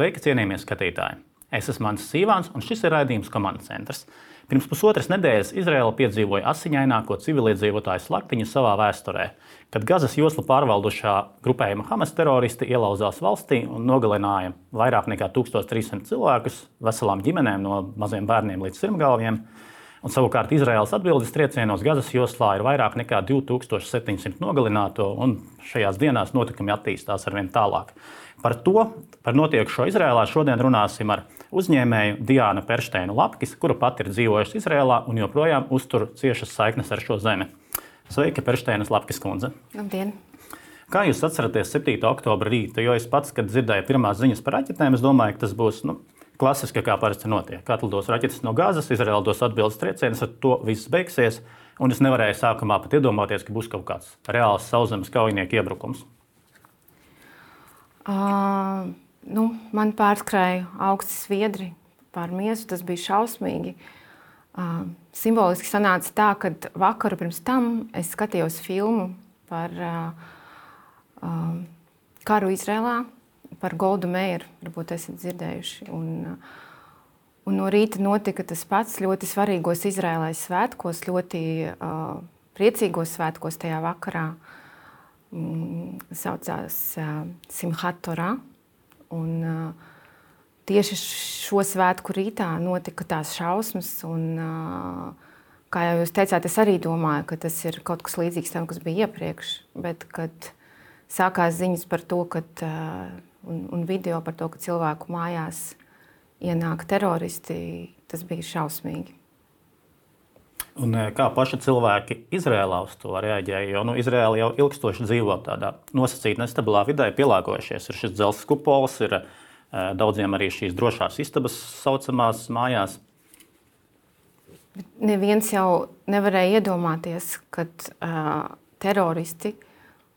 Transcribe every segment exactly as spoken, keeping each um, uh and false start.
Sveiki, cienījamie skatītāji! Es esmu Mans Sīvāns, un šis ir raidījums Komandas centrs. Pirms pusotras nedēļas Izraēla piedzīvoja asiņaināko civiliedzīvotāju slaktiņu savā vēsturē, kad Gazas joslu pārvaldušā grupējuma Hamas teroristi ielauzās valstī un nogalināja vairāk nekā tūkstoš trīs simti cilvēkus, veselām ģimenēm no maziem bērniem līdz sirmgalviem. Un savukārt Izraēlas atbildes triecienos Gazas joslā ir vairāk nekā divi tūkstoši septiņi simti nogalināto, un šajās dienās notikumi attīstās arvien tālāk. Par to, par notiekušo Izraēlā šodien runāsim ar uzņēmēju Diānu Peršteinu Lapkis, kura pati ir dzīvojusi Izraēlā un joprojām uztur ciešas saiknes ar šo zemi. Sveika, Peršteinas Lapkis kundze! Labdien! Kā jūs atceraties septītā oktobra rītu? Jo es pats, kad dzirdēju pirmās ziņas par raķetēm, es domāju, ka tas būs nu, klasiski, kā parasti notiek. Atlidos raķetes no Gazas, Izraēla dos atbildes triecienus, ar to viss beigsies, un es nevarēju sākumā pat iedomāties, ka būs kaut kāds reāls sauszemes kaujinieku iebrukums. Uh, nu, man pārskrēja augsti sviedri pār miesu, tas bija šausmīgi. Uh, simboliski sanāca tā, ka vakaru pirms tam es skatījos filmu par uh, uh, karu Izrēlā, par Goldu Meiru, varbūt esat dzirdējuši. Un, un no rīta notika tas pats ļoti svarīgos Izrēlai svētkos, ļoti uh, priecīgos svētkos tajā vakarā. Mm, saucās uh, Simhat Torah. Un uh, tieši šo svētku rītā notika tās šausmas. Un, uh, kā jau jūs teicāt, es arī domāju, ka tas ir kaut kas līdzīgs tam, kas bija iepriekš. Bet, kad sākās ziņas par to, kad uh, Un, un video par to, ka cilvēku mājās ienāk teroristi, tas bija šausmīgi. Un kā paši cilvēki Izrēlā uz to reaģēja? Jo nu, Izrēla jau ilgstoši dzīvo tādā nosacītā nestabilā vidē, pielāgojušies. Ir šis dzelzs kupols, ir daudziem arī šīs drošās istabas saucamās mājās. Bet neviens jau nevarēja iedomāties, ka uh, teroristi,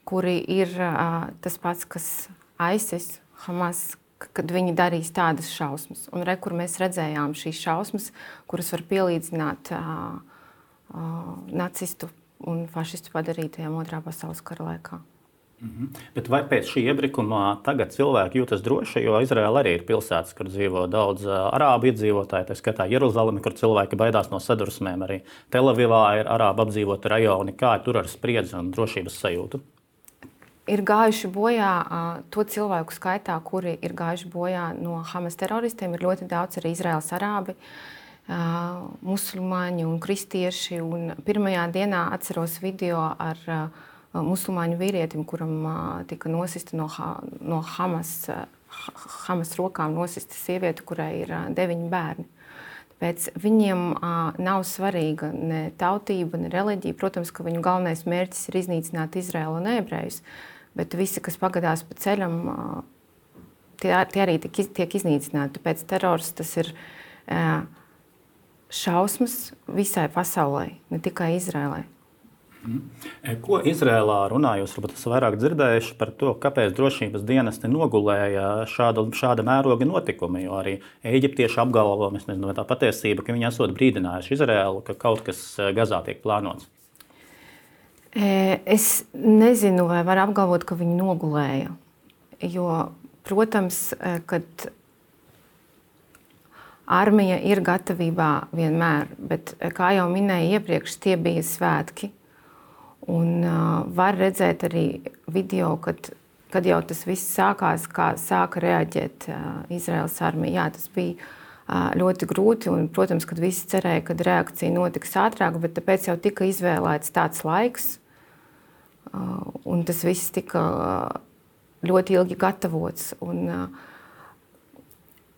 kuri ir uh, tas pats, kas ISIS, Hamas, kad viņi darīs tādas šausmas. Un re, kur mēs redzējām šīs šausmas, kuras var pielīdzināt uh, uh, nacistu un fašistu padarītajām otrā pasaules kara laikā. Mhm. Bet vai pēc šī iebrukuma tagad cilvēki jūtas droši, jo Izraēla arī ir pilsētas, kur dzīvo daudz uh, arābu iedzīvotāji, tā skatā Jeruzalemi, kur cilvēki baidās no sadursmēm, arī Telavivā ir arābu apdzīvoti rajoni. Kā tur ar spriedzi un drošības sajūtu? Ir gājuši bojā uh, to cilvēku skaitā, kuri ir gājuši bojā no Hamas teroristiem. Ir ļoti daudz arī Izraēlas arābi, uh, musulmaņi un kristieši. Un pirmajā dienā atceros video ar uh, musulmaņu vīrietim, kuram uh, tika nosista no, no Hamas, uh, Hamas rokām nosista sieviete, kurai ir uh, deviņi bērni. Tāpēc viņiem uh, nav svarīga ne tautība, ne reliģija. Protams, ka viņu galvenais mērķis ir iznīcināt Izraēlu un ebrejus. Bet visi, kas pagadās pa ceļam, tie, tie arī tiek, tiek iznīcināti. Tāpēc terors tas ir šausmas visai pasaulē, ne tikai Izrēlai. Ko Izrēlā runā? Jūs varbūt esat vairāk dzirdējuši par to, kāpēc drošības dienesti nogulēja šāda, šāda mēroga notikumi, jo arī eģiptieši apgalvo, es nezinu, vai tā patiesība, ka viņi esot brīdinājuši Izrēlu, ka kaut kas Gazā tiek plānots. Es nezinu, vai var apgalvot, ka viņi nogulēja, jo, protams, kad armija ir gatavībā vienmēr, bet, kā jau minēju iepriekš, tie bija svētki. Un uh, var redzēt arī video, kad, kad jau tas viss sākās, kā sāka reaģēt uh, Izraēlas armija. Jā, tas bija uh, ļoti grūti, un, protams, kad visi cerēja, ka reakcija notiks ātrāk, bet tāpēc jau tika izvēlēts tāds laiks, uh, un tas viss tika uh, ļoti ilgi gatavots. Un, uh,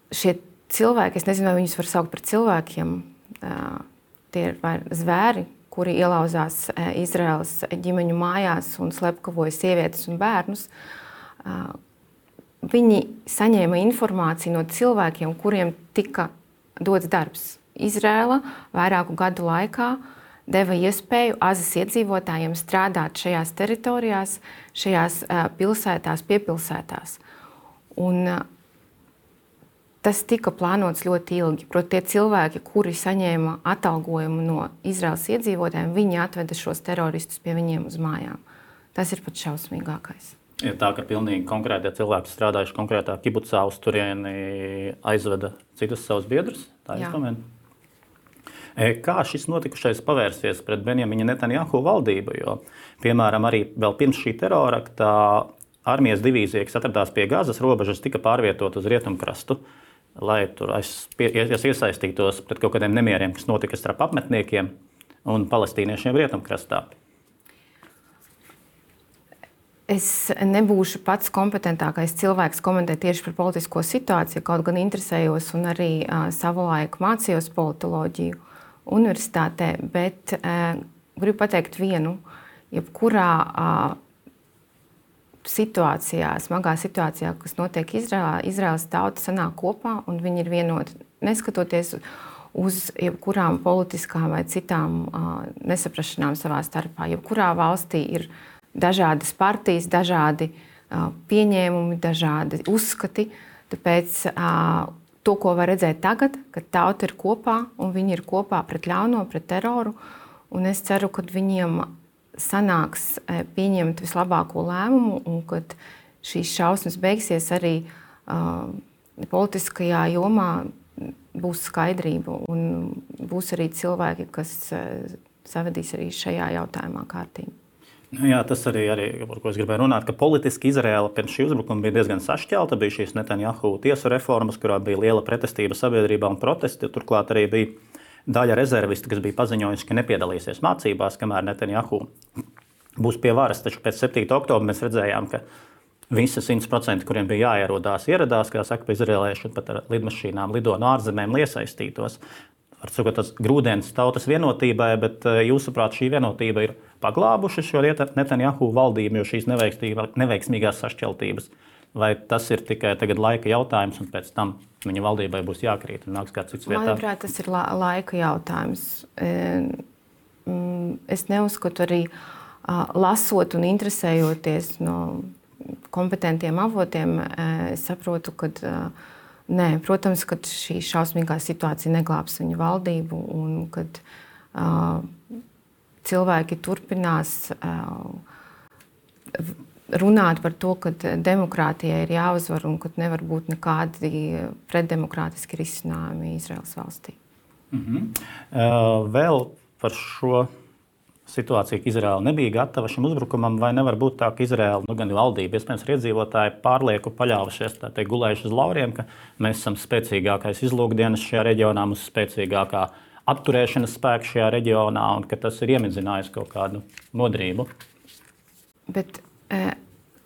šie cilvēki, es nezinu, vai viņus var saukt par cilvēkiem, uh, tie ir zvēri, kuri ielauzās Izraēlas ģimeņu mājās un slepkavoja sievietes un bērnus. Viņi saņēma informāciju no cilvēkiem, kuriem tika dots darbs. Izraēla vairāku gadu laikā deva iespēju Azas iedzīvotājiem strādāt šajās teritorijās, šajās pilsētās, piepilsētās. Un tas tika plānots ļoti ilgi. Proti, tie cilvēki, kuri saņēma atalgojumu no Izraēlas iedzīvotājiem, viņi atveda šos teroristus pie viņiem uz mājām. Tas ir pat šausmīgākais. Ir tā, ka pilnīgi konkrēti cilvēki strādājuši konkrētā kibucā, uz turieni aizveda citus savus biedrus. Tā ir domāta. Kā šis notikušais pavērsies pret Benjamina Netanjahu valdību? Jo, piemēram, arī vēl pirms šī terorakta armijas divīzija, kas atradās pie Gazas robežas, tika pārvietota uz rietumkrastu, lai tur iesaistītos pret kaut kādiem nemieriem, kas notika starp apmetniekiem un palestīniešiem rietumkrastā. Es nebūšu pats kompetentākais cilvēks komentēt tieši par politisko situāciju, kaut gan interesējos un arī uh, savulaik mācījos politoloģiju universitātē, bet uh, gribu pateikt vienu, jebkurā uh, situācijā, smagā situācijā, kas notiek Izrēlā, Izraēlas tauta sanāk kopā un viņi ir vienoti, neskatoties uz jebkurām politiskām vai citām uh, nesaprašanām savā starpā. Jebkurā valstī ir dažādas partijas, dažādi uh, pieņēmumi, dažādi uzskati. Tāpēc uh, to, ko var redzēt tagad, kad tauta ir kopā un viņi ir kopā pret ļauno, pret teroru, un es ceru, ka viņiem sanāks uh, pieņemt vislabāko lēmumu un kad šīs šausmas beigsies arī uh, politiskajā jomā būs skaidrība un būs arī cilvēki, kas uh, savedīs arī šajā jautājumā kārtīgi. Nu jā, tas arī, arī, par ko es gribēju runāt, ka politiski Izraēla pirms šī uzbrukuma bija diezgan sašķelta. Bija šīs Netanjahu tiesu reformas, kurā bija liela pretestība sabiedrībā un protesti. Turklāt arī bija daļa rezervisti, kas bija paziņojuši, ka nepiedalīsies mācībās, kamēr Netanjahu būs pie varas. Taču pēc septītā oktobra mēs redzējām, ka visi simt procenti, kuriem bija jāierodās, ieradās, kā saka, pa izraēlieši pat ar lidmašīnām lido no ārzemēm, lai iesaistītos. Var sakot, tas grūdienis tautas vienotībai, bet jūsuprāt, šī vienotība ir paglābuši šo Netanjahu valdību, jo šīs neveiksmīgās sašķeltības, vai tas ir tikai tagad laika jautājums, un pēc tam viņa valdībai būs jākrīt un nāks kāds cits vietā? Manuprāt, tas ir la laika jautājums. Es neuzskatu arī lasot un interesējoties no kompetentiem avotiem, es saprotu, ka nē, protams, ka šī šausmīgā situācija neglābs viņu valdību un kad uh, cilvēki turpinās uh, runāt par to, ka demokrātijai ir jāuzvar un ka nevar būt nekādi pretdemokrātiski risinājumi Izraēlas valstī. Mm-hmm. uh, vēl par šo situāciju, ka Izraēla nebija gatava šim uzbrukumam, vai nevar būt tā, ka Izraēla, nu gan valdība, iespējams, iedzīvotāji pārlieku paļāvušies, tā teikt, gulējuši uz lauriem, ka mēs esam spēcīgākais izlūkdienas šajā reģionā, mums spēcīgākā apturēšanas spēka šajā reģionā un ka tas ir iemidzinājis kaut kādu modrību. Bet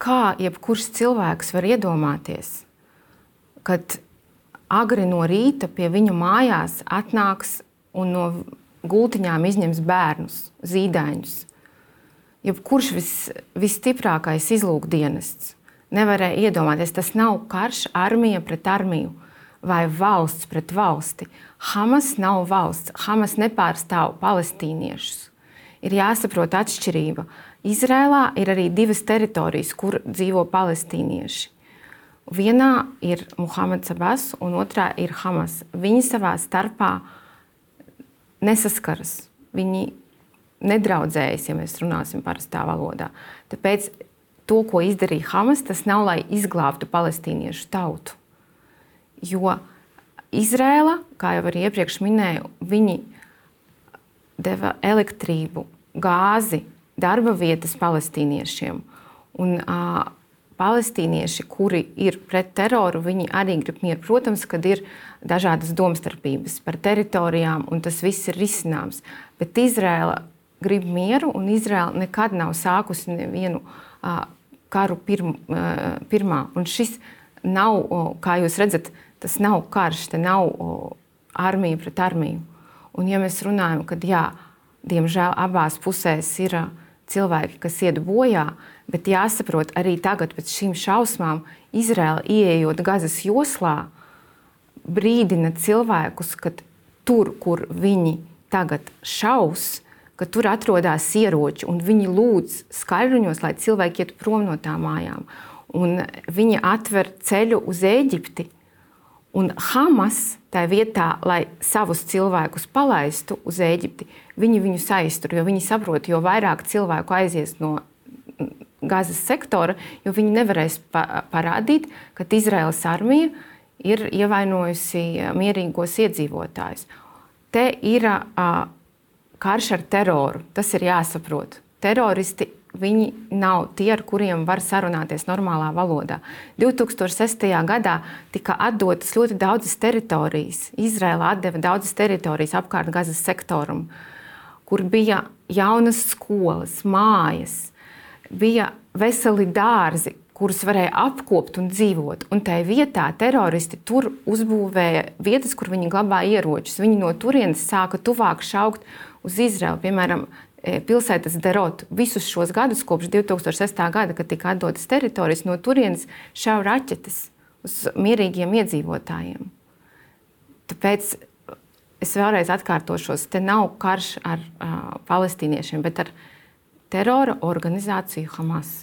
kā jebkurš cilvēks var iedomāties, kad agri no rīta pie viņu mājās atnāks un no gultiņām izņems bērnus, zīdaiņus. Jebkurš vis, visstiprākais izlūkdienests nevarēja iedomāties, tas nav karš armija pret armiju vai valsts pret valsti. Hamas nav valsts, Hamas nepārstāv palestīniešus. Ir jāsaprot atšķirība. Izrēlā ir arī divas teritorijas, kur dzīvo palestīnieši. Vienā ir Muhameds Abbas un otrā ir Hamas. Viņi savā starpā nesaskaras. Viņi nedraudzējas, ja mēs runāsim parastā valodā. Tāpēc to, ko izdarīja Hamas, tas nav, lai izglābtu palestīniešu tautu. Jo Izrēla, kā jau arī iepriekš minēju, viņi deva elektrību, gāzi, darba vietas palestīniešiem. Un uh, palestīnieši, kuri ir pret teroru, viņi arī grib mieru. Protams, kad ir dažādas domstarpības par teritorijām, un tas viss ir risināms. Bet Izrēla grib mieru, un Izrēla nekad nav sākusi nevienu uh, karu pirm, uh, pirmā. Un šis nav, uh, kā jūs redzat, tas nav karš, te nav uh, armija pret armiju. Un ja mēs runājam, kad jā, diemžēl abās pusēs ir uh, cilvēki, kas iet bojā, bet jāsaprot arī tagad pēc šīm šausmām Izrēla ieejot Gazas joslā, brīdina cilvēkus, ka tur, kur viņi tagad šaus, ka tur atrodas ieroči un viņi lūdz skaļruņos, lai cilvēki iet prom no tām mājām. Un viņi atver ceļu uz Ēģipti. Un Hamas tā vietā, lai savus cilvēkus palaistu uz Ēģipti, viņi viņus aiztur, jo viņi saprot, jo vairāk cilvēku aizies no Gazas sektora, jo viņi nevarēs pa parādīt, ka Izraēlas armija ir ievainojusi mierīgos iedzīvotājus. Te ir uh, karš ar teroru, tas ir jāsaprot. Teroristi, viņi nav tie, ar kuriem var sarunāties normālā valodā. divi tūkstoši sestajā gadā tika atdotas ļoti daudzas teritorijas. Izraēla atdeva daudzas teritorijas apkārt Gazas sektoram, kur bija jaunas skolas, mājas, bija veseli dārzi, kurus varēja apkopt un dzīvot. Un tajā vietā teroristi tur uzbūvēja vietas, kur viņi glabāja ieročus. Viņi no turienes sāka tuvāk šaukt uz Izraelu, piemēram, pilsētas Derot. Visus šos gadus, kopš divi tūkstoši sestā gada, kad tika atdotas teritorijas, no turienes šauja raķetes uz mierīgiem iedzīvotājiem. Tāpēc es vēlreiz atkārtošos, te nav karš ar uh, palestīniešiem, bet ar terora organizāciju Hamas.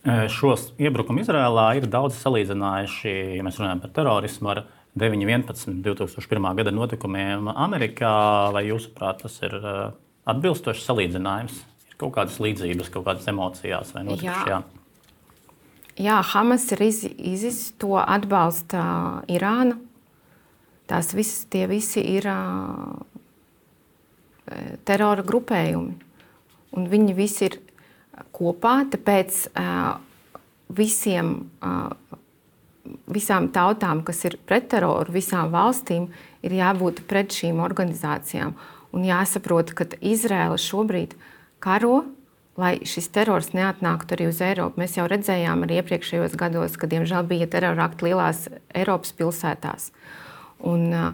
Šos iebrukumu Izrēlā ir daudz salīdzinājuši, ja mēs runājam par terorismu, ar deviņi vienpadsmit divi tūkstoši pirmā gada notikumiem Amerikā. Vai jūsuprāt, tas ir uh, atbilstošs salīdzinājums? Ir kaut kādas līdzības, kaut kādas emocijās vai notikušajā? Jā. Jā, Hamas ir iz, izis, to atbalsta Irāna. Tās visas, tie visi ir uh, terora grupējumi. Un viņi visi ir kopā, tāpēc uh, visiem, uh, visām tautām, kas ir pret teroru, visām valstīm, ir jābūt pret šīm organizācijām. Un jāsaprot, ka Izraēla šobrīd karo, lai šis terors neatnāktu arī uz Eiropu. Mēs jau redzējām arī iepriekšējos gados, kad, diemžēl, bija terora akti lielās Eiropas pilsētās. Un uh,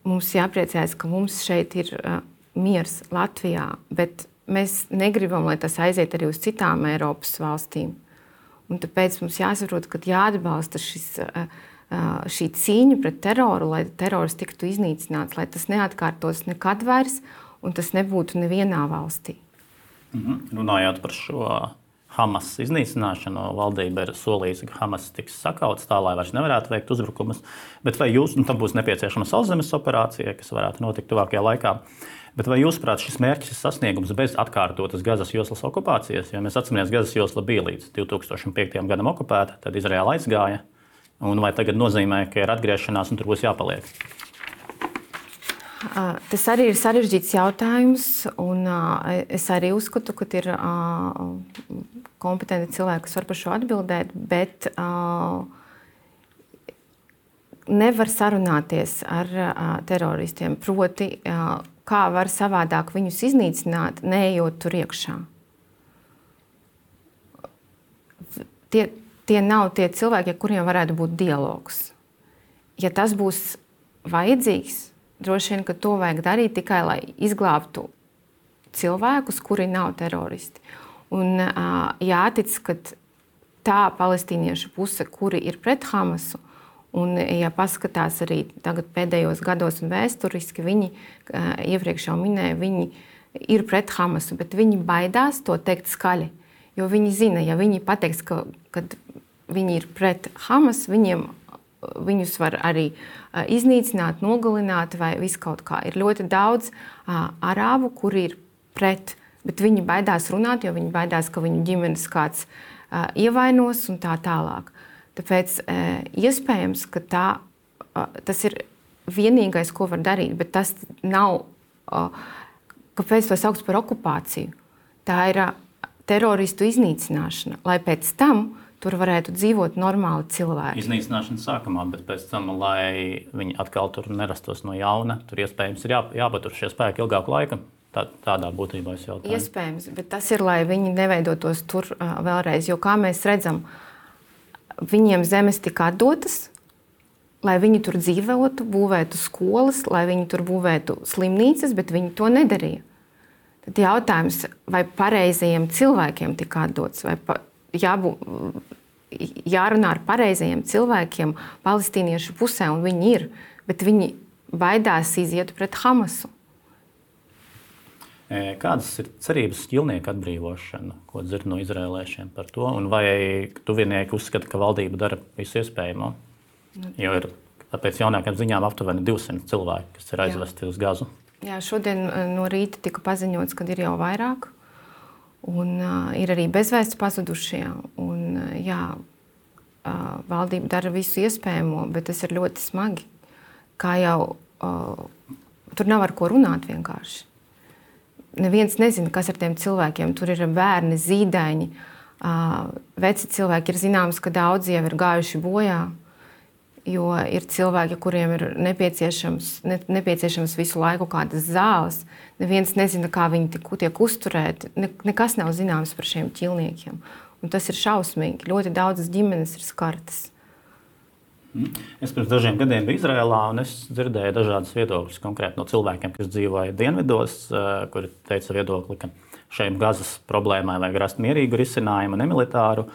mums jāpriecājas, ka mums šeit ir uh, miers Latvijā, bet mēs negribam, lai tas aiziet arī uz citām Eiropas valstīm. Un tāpēc mums jāsaprot, ka jāatbalsta šis, šī cīņa pret teroru, lai terors tiktu iznīcināts, lai tas neatkārtos nekad vairs un tas nebūtu nevienā valstī. Mhm. Runājot par šo Hamas iznīcināšanu, valdība ir solījusi, ka Hamas tiks sakauts tā, lai vairs nevarētu veikt uzbrukumus. Bet vai jūs, nu, tam būs nepieciešama sauszemes operācija, kas varētu notikt tuvākajā laikā? Bet vai jūsuprāt, šis mērķis ir sasniegums bez atkārtotas Gazas joslas okupācijas? Jo mēs atceramies, Gazas josla bija līdz divi tūkstoši piektajam gadam okupēta, tad Izraēla aizgāja. Un vai tagad nozīmē, ka ir atgriešanās un tur būs jāpaliek? Tas arī ir sarežģīts jautājums, un es arī uzskatu, ka ir kompetenti cilvēki, kas var par šo atbildēt, bet nevar sarunāties ar teroristiem. Proti, kā var savādāk viņus iznīcināt, neejot tur iekšā. Tie, tie nav tie cilvēki, ar kuriem varētu būt dialogs. Ja tas būs vajadzīgs, droši vien, ka to vajag darīt tikai, lai izglābtu cilvēkus, kuri nav teroristi. Un jātic, ka tā palestīniešu puse, kuri ir pret Hamasu, un, ja paskatās arī tagad pēdējos gados un vēsturiski, viņi, iepriekš jau minēja, viņi ir pret Hamasu, bet viņi baidās to teikt skaļi. Jo viņi zina, ja viņi pateiks, ka, kad viņi ir pret Hamas, viņiem, viņus var arī iznīcināt, nogalināt vai viskaut kā. Ir ļoti daudz uh, arābu, kuri ir pret, bet viņi baidās runāt, jo viņi baidās, ka viņu ģimenes kāds uh, ievainos un tā tālāk. Tāpēc iespējams, ka tā, tas ir vienīgais, ko var darīt, bet tas nav, kāpēc to sauc par okupāciju. Tā ir teroristu iznīcināšana, lai pēc tam tur varētu dzīvot normāli cilvēki. Iznīcināšana sākumā, bet pēc tam, lai viņi atkal tur nerastos no jauna, tur iespējams ir jā, jāpatur šie spēki ilgāku laiku. Tā, tādā būtībā es jautāju. Iespējams, bet tas ir, lai viņi neveidotos tur vēlreiz, jo kā mēs redzam, viņiem zemes tika atdotas, lai viņi tur dzīvotu, būvētu skolas, lai viņi tur būvētu slimnīcas, bet viņi to nedarīja. Tad jautājums, vai pareizajiem cilvēkiem tika atdots, vai pa, jābū, jārunā ar pareizajiem cilvēkiem palestīniešu pusē, un viņi ir, bet viņi baidās iziet pret Hamasu. Kādas ir cerības ķilnieku atbrīvošana, ko dzird no izrēlēšiem par to? Un vai tuvinieki uzskata, ka valdība dara visu iespējamo? Jo ir pēc jaunākajām ziņām aptuveni divsimt cilvēki, kas ir aizvesti uz Gazu. Jā, šodien no rīta tika paziņots, ka ir jau vairāk. Un, uh, ir arī bezvēsts pazudušie. Un, uh, jā, uh, valdība dara visu iespējamo, bet tas ir ļoti smagi. Kā jau uh, tur nav ar ko runāt vienkārši. Neviens nezina, kas ar tiem cilvēkiem. Tur ir bērni, zīdaiņi, uh, veci cilvēki. Ir zināms, ka daudzi jau ir gājuši bojā. Jo ir cilvēki, kuriem ir nepieciešams, ne, nepieciešams visu laiku kādas zāles. Neviens nezina, kā viņi tiek, tiek uzturēti. Ne, nekas nav zināms par šiem ķilniekiem. Un tas ir šausmīgi. Ļoti daudzas ģimenes ir skartas. Es pirms dažiem gadiem biju Izrēlā, un es dzirdēju dažādas viedokļas konkrēti no cilvēkiem, kas dzīvoja dienvidos, kuri teica viedokli, ka šiem Gazas problēmai vajag rast mierīgu risinājumu, nemilitāru,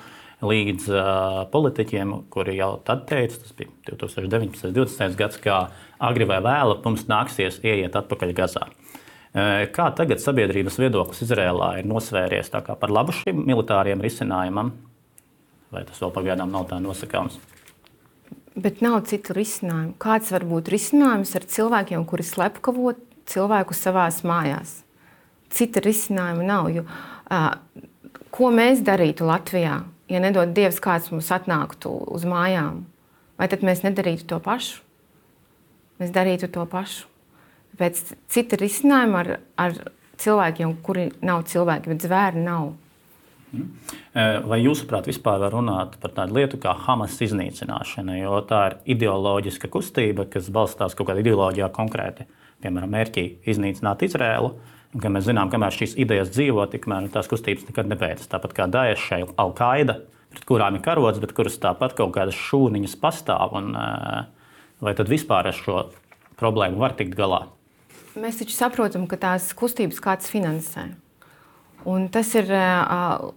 līdz uh, politiķiem, kuri jau tad teica, tas bija divi tūkstoši deviņpadsmitais divdesmitais gads, kā agri vai vēlu mums nāksies ieiet atpakaļ Gazā. Uh, kā tagad sabiedrības viedoklis Izrēlā ir nosvēries tā kā par labu šim militāriem risinājumam? Vai tas vēl pagaidām nav tā nosakāms? Bet nav citu risinājumu. Kāds var būt risinājums ar cilvēkiem, kuri slepkavo cilvēku savās mājās? Cita risinājuma nav. Jo, uh, ko mēs darītu Latvijā? Ja nedod Dievs, kāds mums atnāktu uz mājām, vai tad mēs nedarītu to pašu? Mēs darītu to pašu. Pēc cita risinājuma ar, ar cilvēkiem, kuri nav cilvēki, bet zvēri nav. Vai jūsuprāt vispār var runāt par tādu lietu kā Hamas iznīcināšana, jo tā ir ideoloģiska kustība, kas balstās kaut kādā ideoloģijā konkrēti, piemēram, mērķī iznīcināt Izrēlu. Un, ka mēs zinām, kamēr šīs idejas dzīvo, tikmēr tās kustības nekad nebeidzas. Tāpat kā Daesh, Al-Qaida, pret kurām ir karots, bet kuras tāpat kaut kādas šūniņas pastāv. Un, vai tad vispār ar šo problēmu var tikt galā? Mēs taču saprotam, ka tās kustības kāds finansē. Un tas ir uh,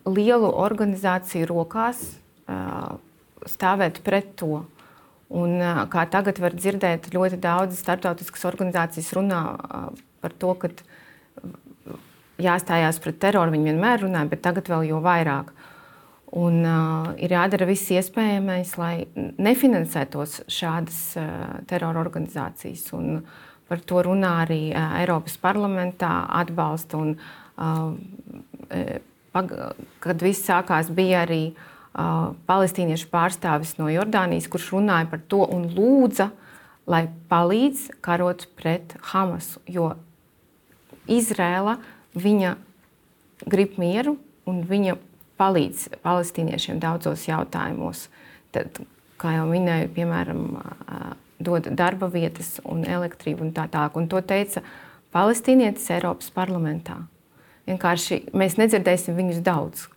lielu organizāciju rokās uh, stāvēt pret to. Un, uh, kā tagad var dzirdēt, ļoti daudz starptautiskas organizācijas runā uh, par to, ka jāstājās pret teroru. Viņi vienmēr runāja, bet tagad vēl jo vairāk. Un, uh, ir jādara viss iespējamais, lai nefinansētos šādas uh, terora organizācijas. Un par to runā arī uh, Eiropas parlamentā atbalsta. Un, uh, pag, kad viss sākās, bija arī uh, palestīniešu pārstāvis no Jordānijas, kurš runāja par to un lūdza, lai palīdz karot pret Hamasu. Jo Izrēla, viņa grib mieru un viņa palīdz palestīniešiem daudzos jautājumos. Tad, kā jau minēju, piemēram, dod darba vietas un elektrību un tā tālāk. Un to teica palestīnietis Eiropas parlamentā. Vienkārši mēs nedzirdēsim viņus daudz.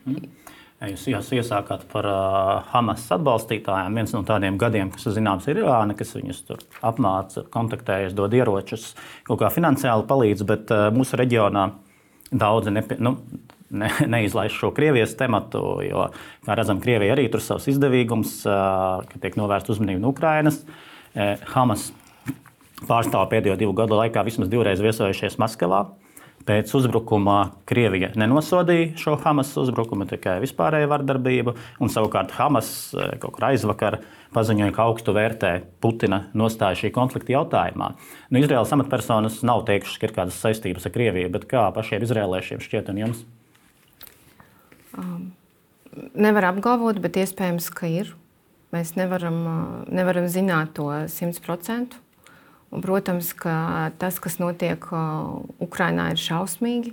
Mm. Jūs, jūs iesākāt par uh, Hamas atbalstītājiem. Viens no tādiem gadiem, kas zināms, ir Irāna, kas viņus tur apmāca, kontaktējas, dod ieročus, kaut kā finansiāli palīdz, bet uh, mūsu reģionā daudzi nepie, nu, ne, neizlaiž šo Krievijas tematu, jo, kā redzam, Krievija arī tur savs izdevīgums, uh, ka tiek novērsta uzmanība no Ukrainas. Uh, Hamas pārstāv pēdējo divu gadu laikā vismaz divreiz viesojušies Maskavā. Pēc uzbrukuma Krievija nenosodīja šo Hamas uzbrukumu, tikai vispārēju vardarbību, un savukārt Hamas kaut kur aizvakar paziņoja, ka augstu vērtē Putina nostāju šī konflikta jautājumā. Nu, Izraēlas amatpersonas nav teikušas, ka ir kādas saistības ar Krieviju, bet kā pašiem izraēliešiem šķiet un jums? Um, nevar apgalvot, bet iespējams, ka ir. Mēs nevaram, nevaram zināt to simt procentu. Un, protams, ka tas, kas notiek Ukrainā, ir šausmīgi.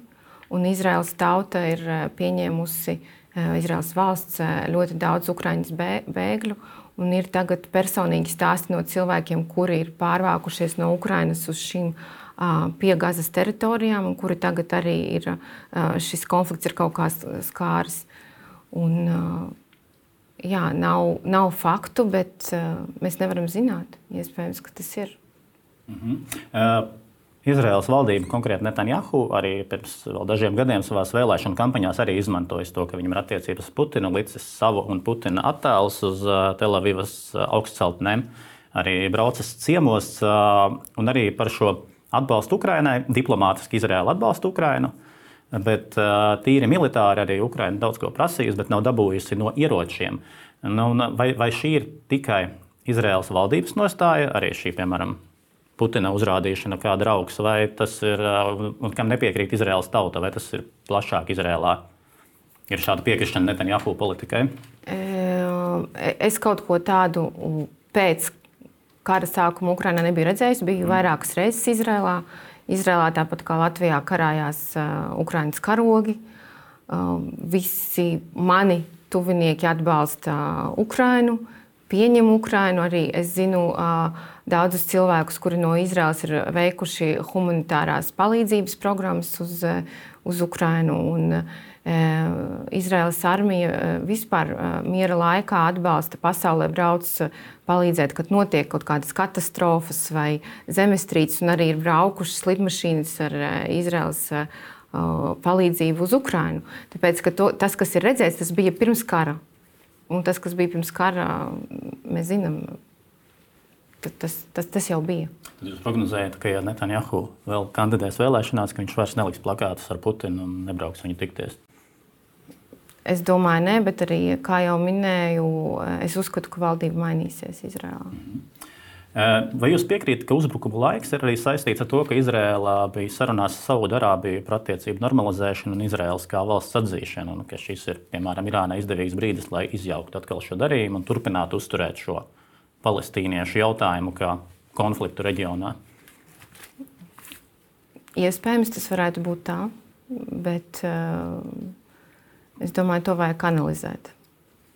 Un Izraēlas tauta ir pieņēmusi, Izraēlas valsts, ļoti daudz ukraiņas bēgļu. Un ir tagad personīgi stāsti no cilvēkiem, kuri ir pārvākušies no Ukrainas uz šīm pie Gazas teritorijām, un kuri tagad arī ir, šis konflikts ir kaut kā skāris. Un, jā, nav, nav faktu, bet mēs nevaram zināt. Iespējams, ka tas ir. Mhm. Uh, Izraēlas valdība, konkrēti Netanjahu, arī pirms vēl dažiem gadiem savās vēlēšanu kampaņās arī izmantojas to, ka viņam ir attiecības ar Putinu, licis savu un Putina attēlus uz uh, Telavivas uh, augstceltnēm, arī braucas ciemos, uh, un arī par šo atbalstu Ukrainai, diplomātiski Izraēla atbalsta Ukrainu, bet uh, tīri militāri arī Ukraina daudz ko prasījusi, bet nav dabūjusi no ieročiem. Nu, vai, vai šī ir tikai Izraēlas valdības nostāja, arī šī, piemēram, Putina uzrādīšana kā draugs, vai tas ir, un kam nepiekrīt Izraēlas tauta, vai tas ir plašāk Izraēlā? Ir šāda piekrišana Netanjahu politikai? Es kaut ko tādu pēc kara sākuma Ukrainā nebiju redzējis. Biju vairākas reizes Izraēlā. Izraēlā tāpat kā Latvijā karājās Ukrainas karogi. Visi mani tuvinieki atbalsta Ukrainu, pieņem Ukrainu. Arī es zinu daudzus cilvēkus, kuri no Izraēlas ir veikuši humanitārās palīdzības programmas uz, uz Ukrainu. Un, Izraēlas armija vispār miera laikā atbalsta pasaulē, brauc palīdzēt, kad notiek kaut kādas katastrofas vai zemestrīces, un arī ir braukušas lidmašīnas ar Izraēlas palīdzību uz Ukrainu. Tāpēc, ka to, tas, kas ir redzēts, tas bija pirms kara. Un tas, kas bija pirms kara, mēs zinām, tas, tas, tas jau bija. Tad jūs prognozējat, ka ja Netanjahu vēl kandidēs vēlēšanās, ka viņš vairs neliks plakātus ar Putinu un nebrauks viņu tikties? Es domāju, nē, bet arī, kā jau minēju, es uzskatu, ka valdība mainīsies Izraēlā. Mm-hmm. Vai jūs piekrītat, ka uzbrukuma laiks ir arī saistīts ar to, ka Izraēlā bija sarunās Saudarābiju par attiecību normalizēšanu un Izraēlas kā valsts atzīšanu, un ka šis ir, piemēram, Irānai izdevīgs brīdis, lai izjauktu atkal šo darījumu un turpinātu uzturēt šo palestīniešu jautājumu kā konfliktu reģionā? Iespējams, tas varētu būt tā, bet uh, es domāju, to vajag analizēt.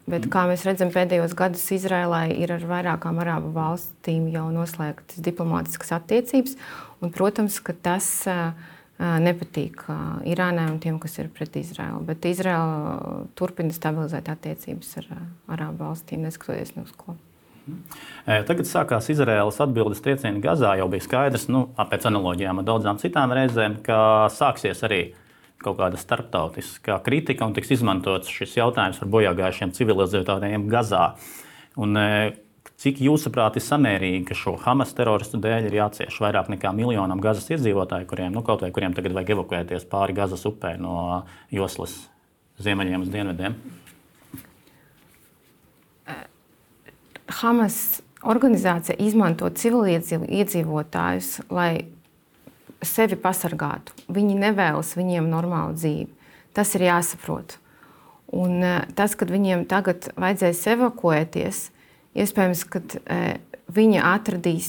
Bet, kā mēs redzam, pēdējos gadus Izraēlai ir ar vairākām arābu valstīm jau noslēgtas diplomātiskas attiecības. Un, protams, ka tas uh, nepatīk uh, Irānai un tiem, kas ir pret Izraēlu. Bet Izraēla turpina stabilizēt attiecības ar uh, arābu valstīm, neskatoties ne uz ko. Tagad sākās Izraēlas atbildes triecieni Gazā. Jau bija skaidrs, nu, pēc analoģijām ar daudzām citām reizēm, ka sāksies arī kaut kāda starptautiskā kritika un tiks izmantots šis jautājums par bojāgājušiem civilizētājiem Gazā. Un, cik jūsuprāt ir samērīgi, ka šo Hamas teroristu dēļ ir jācieš vairāk nekā miljonam Gazas iedzīvotāju, kuriem, nu, kaut vai kuriem tagad vajag evakuēties pāri Gazas upē no joslas ziemeļiem uz dienvidiem? Hamas organizācija izmanto civiliedzīvotājus, lai sevi pasargātu. Viņi nevēlas viņiem normālu dzīvi. Tas ir jāsaprot. Un tas, kad viņiem tagad vajadzēs evakuēties, iespējams, kad viņi atradīs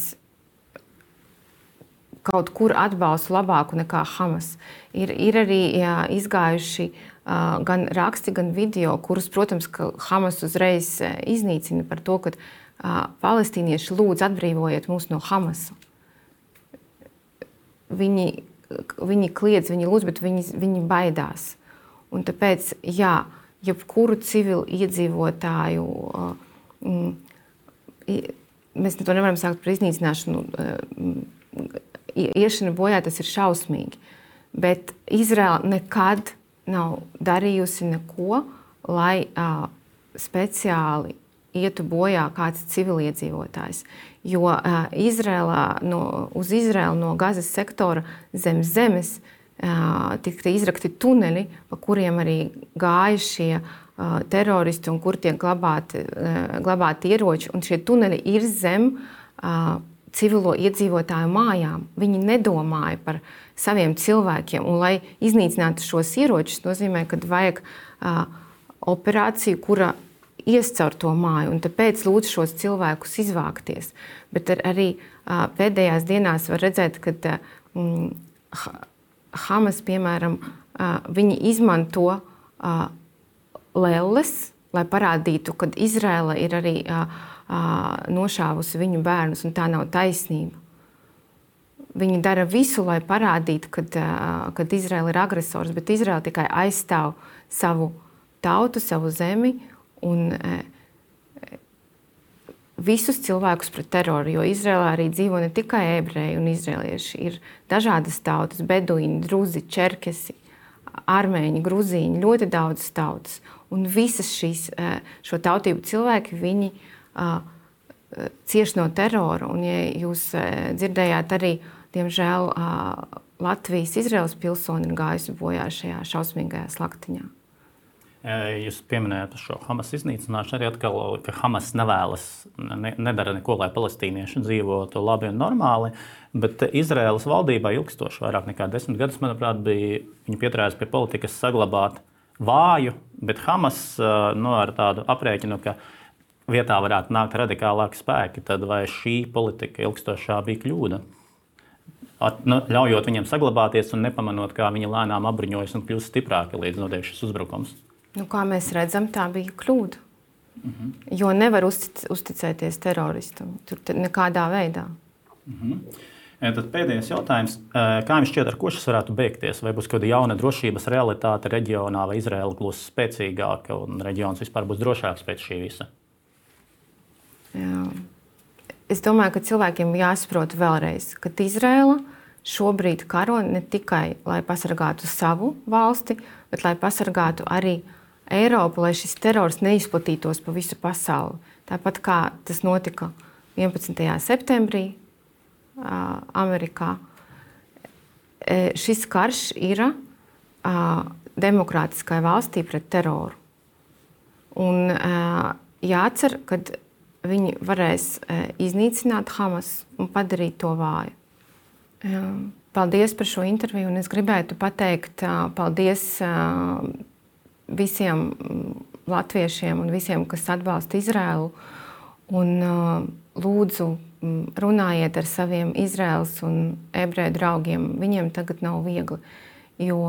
kaut kur atbalstu labāku nekā Hamas. Ir, ir arī jā, izgājuši uh, gan raksti, gan video, kurus, protams, ka Hamas uzreiz iznīcina par to, ka uh, palestīnieši lūdz atbrīvojiet mūs no Hamasa. Viņi, viņi kliedz, viņi lūdz, bet viņi, viņi baidās. Un tāpēc, jā, jebkuru civilu iedzīvotāju, uh, mēs to nevaram saukt par iznīcināšanu, uh, iešana bojā, tas ir šausmīgi. Bet Izraēla nekad nav darījusi neko, lai uh, speciāli ietu bojā kāds civiliedzīvotājs. Jo uh, Izraēlā, no, uz Izraēlu no Gazas sektora zem zemes uh, tika izrakti tuneļi, pa kuriem arī gāja šie uh, teroristi un kur tiek glabāti, uh, glabāti ieroči. Un šie tuneļi ir zem uh, civilo iedzīvotāju mājām. Viņi nedomāja par saviem cilvēkiem. Un, lai iznīcinātu šos ieročus, nozīmē, ka vajag uh, operāciju, kura ies caur to māju, un tāpēc lūdzu šos cilvēkus izvākties. Bet ar, arī uh, pēdējās dienās var redzēt, ka um, Hamas, piemēram, uh, viņi izmanto uh, lelles, lai parādītu, ka Izraēla ir arī uh, uh, nošāvusi viņu bērnus, un tā nav taisnība. Viņi dara visu, lai parādītu, ka uh, Izraēla ir agresors, bet Izraēla tikai aizstāv savu tautu, savu zemi, un e, visus cilvēkus pret teroru, jo Izraēlā arī dzīvo ne tikai ebreji un izraēlieši, ir dažādas tautas, beduīni, druzi, čerkesi, armēņi, gruzīņi, ļoti daudz tautas. Un visas šīs, šo tautību cilvēki, viņi uh, cieš no terora. Un, ja jūs dzirdējāt arī, diemžēl, uh, Latvijas Izraēlas pilsoni ir gājusi bojā šajā šausmīgajā slaktiņā. Jūs pieminējāt šo Hamas iznīcināšanu, arī atkal, ka Hamas nevēlas, ne, nedara neko, lai palestīnieši dzīvotu labi un normāli, bet Izraēlas valdībā ilgstoši, vairāk nekā desmit gadus, manuprāt, bija viņi pieturējās pie politikas saglabāt vāju, bet Hamas nu, ar tādu aprēķinu, ka vietā varētu nākt radikālāki spēki, tad vai šī politika ilgstošā bija kļūda? At, nu, ļaujot viņiem saglabāties un nepamanot, kā viņi lēnām apbruņojas un kļūst stiprāki līdz notiek šis uzbrukums. Nu, kā mēs redzam, tā bija kļūda. Uh-huh. Jo nevar uztic, uzticēties teroristam. Tur nekādā veidā. Uh-huh. Tad pēdējais jautājums. Kā jums šķiet, ar ko šis varētu beigties? Vai būs kāda jauna drošības realitāte reģionā, vai Izraela kļūs spēcīgāka un reģions vispār būs drošāks pēc šī visa? Jā. Es domāju, ka cilvēkiem jāsaprot vēlreiz, ka Izraela šobrīd karo ne tikai, lai pasargātu savu valsti, bet lai pasargātu arī Eiropu, lai šis terors neizplatītos pa visu pasauli. Tāpat kā tas notika vienpadsmitajā septembrī uh, Amerikā. E, šis karš ir uh, demokrātiskai valstī pret teroru. Un uh, jācer, ka viņi varēs uh, iznīcināt Hamas un padarīt to vāju. Uh, paldies par šo interviju, un es gribētu pateikt uh, paldies uh, visiem latviešiem un visiem, kas atbalsta Izraelu. Un uh, lūdzu, runājiet ar saviem Izraels un ebreju draugiem. Viņiem tagad nav viegli, jo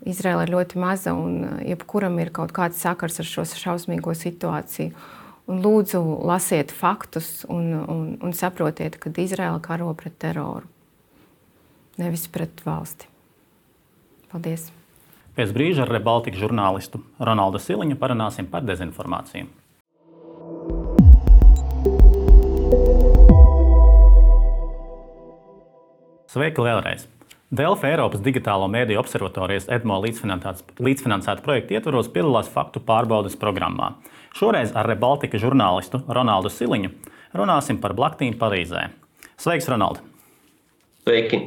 Izraela ir ļoti maza un jebkuram ir kaut kāds sakars ar šo šausmīgo situāciju. Un lūdzu, lasiet faktus un, un, un saprotiet, ka Izraela karo pret teroru, nevis pret valsti. Paldies! Pēc brīža ar Rebaltika žurnālistu Ronaldu Siliņu parunāsim par dezinformāciju. Sveiki vēlreiz! Delfi Eiropas digitālo mēdīju observatorijas EDMO līdzfinansēta projekta ietvaros piedalās faktu pārbaudes programmā. Šoreiz ar Rebaltika žurnālistu Ronaldu Siliņu runāsim par blaktīm Parīzē. Sveiks, Ronaldu! Sveiki!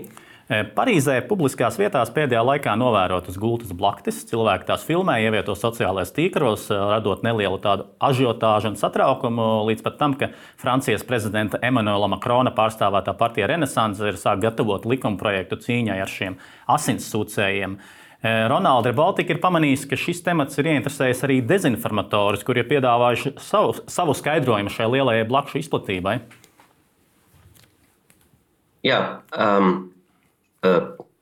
Parīzē publiskās vietās pēdējā laikā novērotas gultas blaktis. Cilvēki tās filmē, ievieto sociālajos tīklos, radot nelielu tādu ažiotāžu un satraukumu, līdz pat tam, ka Francijas prezidenta Emmanuela Macrona pārstāvētā partija Renaissance ir sāk gatavot likumprojektu cīņai ar šiem asinssūcējiem. Ronalds Rebaltika ir pamanījis, ka šis temats ir ieinteresējis arī dezinformatorus, kuri ir piedāvājuši savu, savu skaidrojumu šai lielajai blakšu izplatībai. Jā, um...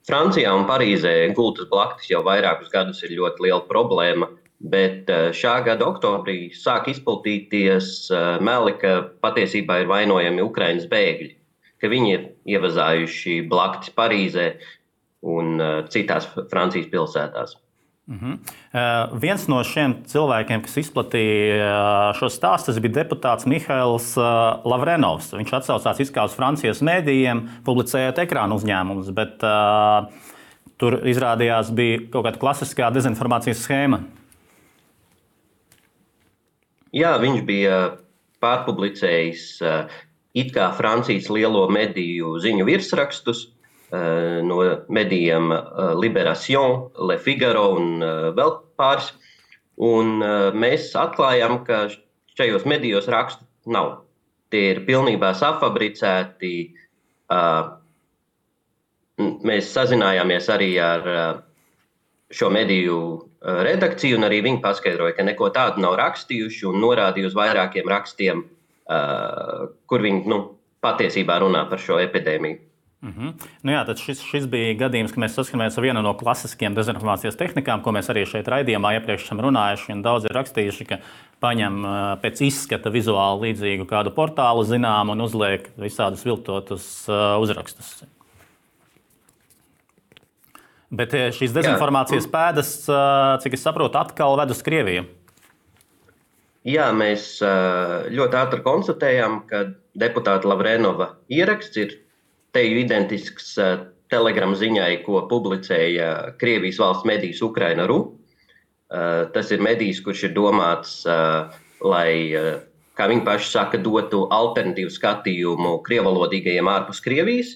Francijā un Parīzē gultas blaktis jau vairākus gadus ir ļoti liela problēma, bet šā gada oktobrī sāk izplatīties meli, ka patiesībā ir vainojami Ukrainas bēgļi, ka viņi ir ievazājuši blaktis Parīzē un citās Francijas pilsētās. Uh-huh. Uh, viens no šiem cilvēkiem, kas izplatīja šo stāstu, bija deputāts Mihails uh, Lavrenovs. Viņš atsaucās it kā uz Francijas mēdījiem, publicējot ekrānu uzņēmumus, bet uh, tur izrādījās bija kaut kāda klasiskā dezinformācijas schēma. Jā, viņš bija pārpublicējis uh, it kā Francijas lielo mediju ziņu virsrakstus, no medijiem Libération, Le Figaro un vēl pāris. Un mēs atklājām, ka šajos medijos rakstu nav. Tie ir pilnībā safabricēti. Mēs sazinājāmies arī ar šo mediju redakciju, un arī viņi paskaidroja, ka neko tādu nav rakstījuši un norādīja uz vairākiem rakstiem, kur viņi nu, patiesībā runā par šo epidēmiju. Uh-huh. Nu jā, tad šis, šis bija gadījums, ka mēs saskaramies ar vienu no klasiskiem dezinformācijas tehnikām, ko mēs arī šeit raidījumā iepriekš esam runājuši, un daudz ir rakstījuši, ka paņem pēc izskata vizuāli līdzīgu kādu portālu zinām un uzliek visādus viltotus uh, uzrakstus. Bet šīs dezinformācijas jā. pēdas, uh, cik es saprotu, atkal ved uz Krieviju. Jā, mēs uh, ļoti ātri konstatējām, ka deputāta Lavrenova ieraksts ir teju identisks uh, telegram ziņai, ko publicēja Krievijas valsts medijs Ukraina punkt ru. Uh, tas ir medijs, kurš ir domāts, uh, lai, uh, kā viņi paši saka, dotu alternatīvu skatījumu krievalodīgajiem ārpus Krievijas.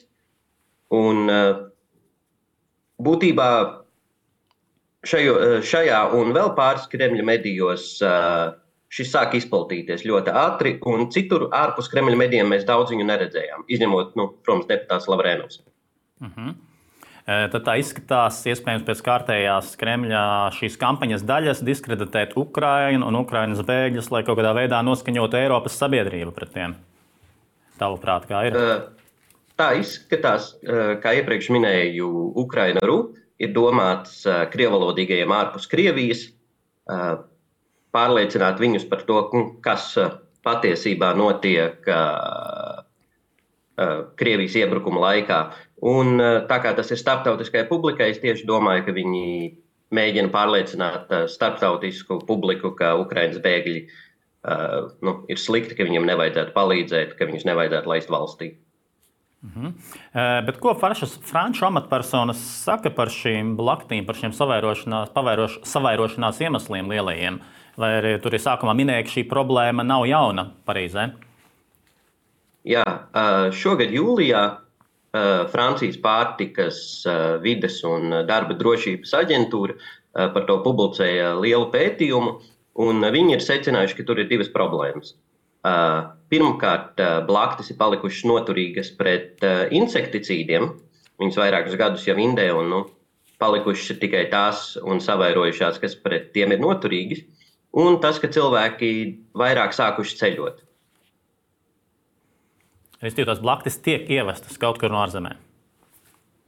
Un uh, būtībā šajo, šajā un vēl pāris Kremļa medijos šis sāk izplatīties ļoti ātri, un citur ārpus Kremļa medijiem mēs daudz viņu neredzējām, izņemot, nu, protams, deputāts Lavrenovs. Uh-huh. Tad tā izskatās, iespējams, pēc kārtējās Kremļa šīs kampaņas daļas diskreditēt Ukrainu un Ukrainas bēgļus, lai kaut kādā veidā noskaņotu Eiropas sabiedrību pret tiem. Tavuprāt, kā ir? Tā izskatās, kā iepriekš minēju, Ukraina R U ir domāts krievalodīgajiem ārpus Krievijas, pārliecināt viņus par to, kas patiesībā notiek Krievijas iebrukuma laikā. Un tā kā tas ir starptautiskajai publikai, es tieši domāju, ka viņi mēģina pārliecināt starptautisku publiku, ka Ukrainas bēgļi uh, nu, ir slikti, ka viņiem nevajadzētu palīdzēt, ka viņus nevajadzētu laist valstī. Uh-huh. Uh, bet ko faršas franču amatpersonas saka par šīm blaktīm, par šiem savairošanās, pavairoš, savairošanās iemesliem lielajiem? Vai arī tur ir sākumā minēja, ka šī problēma nav jauna Parīzē? Jā, šogad jūlijā Francijas pārtikas, vides un darba drošības aģentūra par to publicēja lielu pētījumu, un viņi ir secinājuši, ka tur ir divas problēmas. Pirmkārt, blaktis ir palikušas noturīgas pret insekticīdiem. Viņas vairākus gadus jau indē un nu, palikušas tikai tās un savairojušās, kas pret tiem ir noturīgas. Un tas, ka cilvēki vairāk sākuši ceļot. Es ticu, tās blaktis tiek ievestas kaut kur no ārzemēm.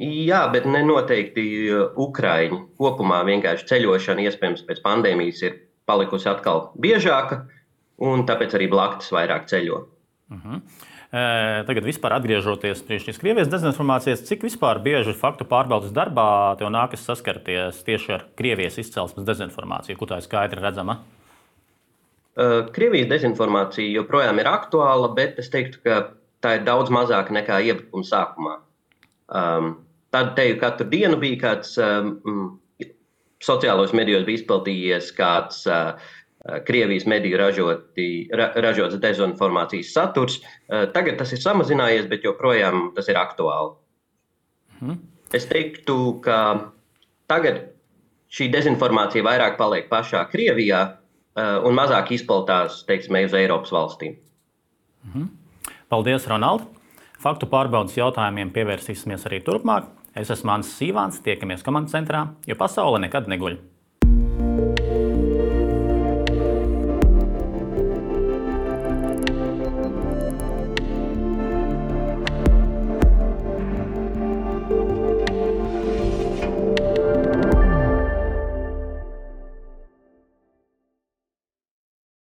Jā, bet ne noteikti Ukraiņi. Kopumā vienkārši ceļošana, iespējams, pēc pandēmijas ir palikusi atkal biežāka, un tāpēc arī blaktis vairāk ceļo. Uh-huh. E, tagad vispār atgriežoties pie šīs Krievijas dezinformācijas, cik vispār bieži faktu pārbaudas darbā tev nākas saskarties tieši ar Krievijas izcelsmes dezinformāciju, kur tā ir skaidri redzama? Krievijas dezinformācija joprojām ir aktuāla, bet es teiktu, ka tā ir daudz mazāka nekā iebrukuma sākumā. Um, tad teju katru dienu bija kāds um, sociālos medijos bija izplatījies kāds uh, Krievijas mediju ražoti, ra, ražots dezinformācijas saturs. Uh, tagad tas ir samazinājies, bet joprojām tas ir aktuāli. Mhm. Es teiktu, ka tagad šī dezinformācija vairāk paliek pašā Krievijā uh, un mazāk izplatās, teiksim, uz Eiropas valstīm. Mhm. Paldies, Ronald! Faktu pārbaudas jautājumiem pievērsīsimies arī turpmāk. Es esmu Mānis Sīvāns, tiekamies komandas centrā, jo pasaule nekad neguļ.